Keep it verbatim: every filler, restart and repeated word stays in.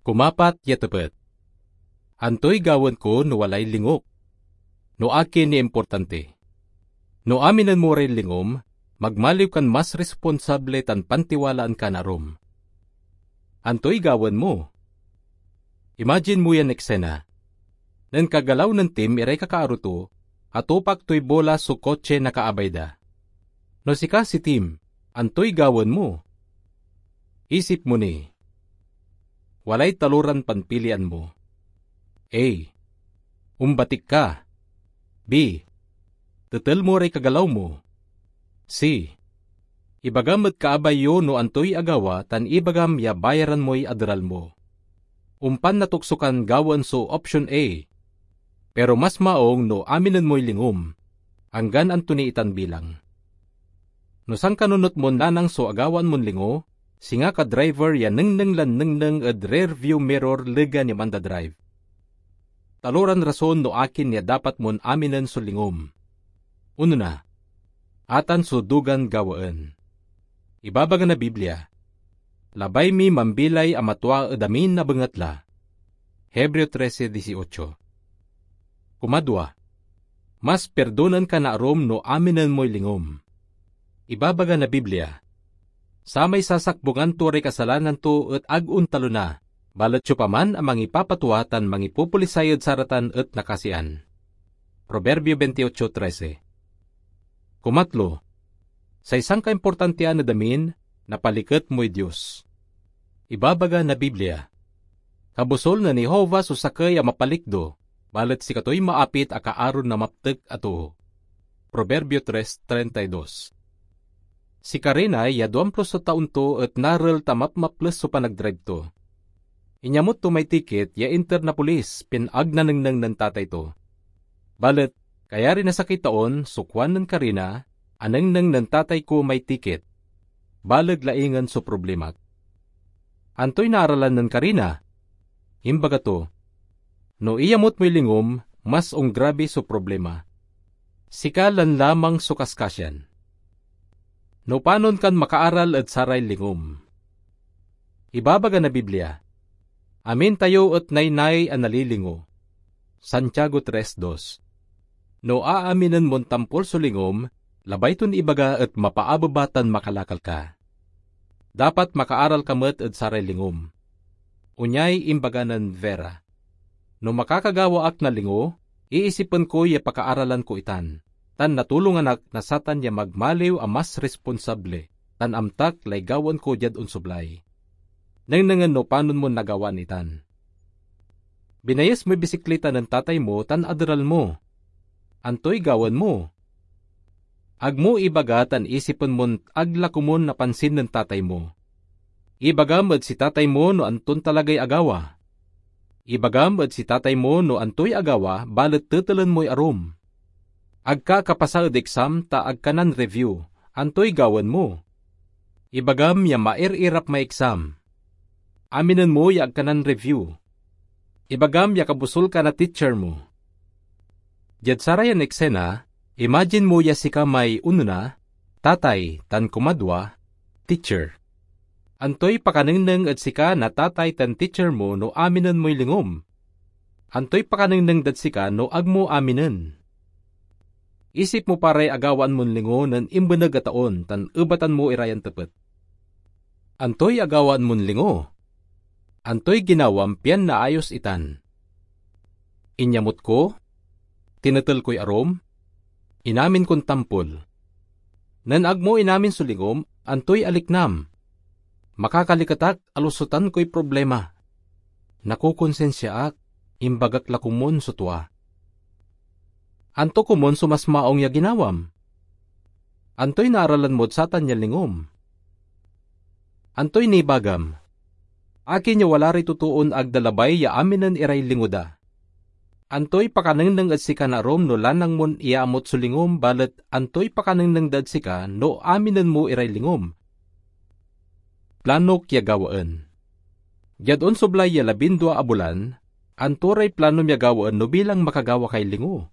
Kumapat ya tepet, antoy gawaen ko no walay lingok? No akin ya importante? No aminen mo ray lingom, magmaliw kan mas responsable tan pantiwalaan ka na arum. Antoy gawaen mo? Imagine mo yan eksena. Nen kagalaw nen Tim iray kakaaro to, atupak toy bola so kotse na kaabay da. No sika si Tim, antoy gawaen mo? Isip mo ni. Walay taloran panpilian mo. A, ombatik ka. B, tetel mo ray kagalaw mo. C, ibagam ed kaabay yo no antoy agawa tan ibagam ya bayaran moy aderal mo. Ompan natukso kan gawaen so option A. Pero mas maong no aminen moy lingom, anggan anto ni itan bilang. No sankanunot mon nanang so agawaan mon lingo, singa ka driver ya nengneng lan nengneng ed rear view mirror legan ya mandadrive. Taloran rason no akin ya dapat mon aminen so lingom. Onona, atan so dugan gawaen. Ibabaga na Biblia, "Labay mi mambilay a matua ed amin a bengatla." Hebreo trese dieciocho. Kumadwa, mas perdonan ka na arum no aminen moy lingom. Ibabaga na Biblia, "Samay sasakbungan to ray kasalanan to et ag ontalona, balet siopaman a mangipapatua tan mangipopolisay ed saratan et nakasian." Proverbio veintiocho trese. Kumatlo, say sankaimportantian ed amin, napaliket moy Dios. Ibabaga na Biblia, "Kabusol nen Jehovah so sakey a mapalikdo, balet sikatoy maapit a kaaron na maptek a too." Proverbio tres treinta y dos. Si Karina ya duamplo so taon to et narel ta mapmaples so panagdrive to. Inyamot to may tiket ya inter na pulis pian ag nanengneng nen tatay to. Balet, kayari na sakey taon so kuan nen Karina, "Anengneng nen tatay ko may tiket. Baleg laingen so problemak." Antoy naaralan nen Karina? Imbaga to, "No iyamot moy lingom, mas ongrabe so problema. Sika lan lamang so kaskasian." No panon kan makaaral ed saray lingom? Ibabaga na Biblia, "Amin tayo et naynay a nalilingo." Santiago tres dos. No aaminen mon tampol so lingom, labay ton ibaga et mapaabeba tan makalakal ka. Dapat makaaral ka met ed saray lingom. Onyay imbaga nen Vera, "No makakagawa ak na lingo, iisipen ko ya pakaaralan ko itan, tan natulongan ak na satan ya magmaliw a mas responsable, tan amtak lay gawaen ko diad onsoblay." Nengnengen no panon mon nagawaan itan. Binayes moy bisiklita nen tatay mo tan aderal mo. Antoy gawaen mo? Ag mo ibaga tan isipen mon ag la komon napansin nen tatay mo. Ibagam ed si tatay mo no anton talagay agawa. Ibagam ed si tatay mo no antoy agawa, balet tetelen moy arum. Ag ka akapasa ed exam ta ag ka nan-review. Antoy gawaen mo? Ibagam ya mair-irap may exam. Aminen mo ya ag ka nan-review. Ibagam ya kabusol ka na teacher mo. Diad sarayan eksena, imagine mo ya sika may onona, tatay, tan kumadwa, teacher. Antoy pakanengneng ed sika na tatay tan teacher mo no aminen moy lingom? Antoy pakanengneng dad sika no ag mo aminen? Isip mo pa ray agawaan mon lingo nen imbeneg a taon tan ebatan mo ira yan tepet. Antoy agawaan mon lingo? Antoy ginawam pian naayos itan? Inyamot ko? Tinetel koy arum? Inamin kon tampol? Nen ag mo inamin so lingom, antoy aliknam? Makakaliket ak, alusotan koy problema. Nakokonsinsia ak, imbagak la komon so tua. Anto komon so mas maong ya ginawam? Antoy naaralan mod satan ya lingom? Antoy nibagam? Akin ya wala ray totoon ag da labay ya aminen iray lingo da? Antoy pakanengneng ed sika na arum no lanang mon iyaamot so lingom, balet antoy pakanengneng da ed sika no aminen mo iray lingom? Planok ya gawaen. Diad onsoblay ya labindua a bulan, anto ray planom ya gawaen no bilang makagawa kay lingo?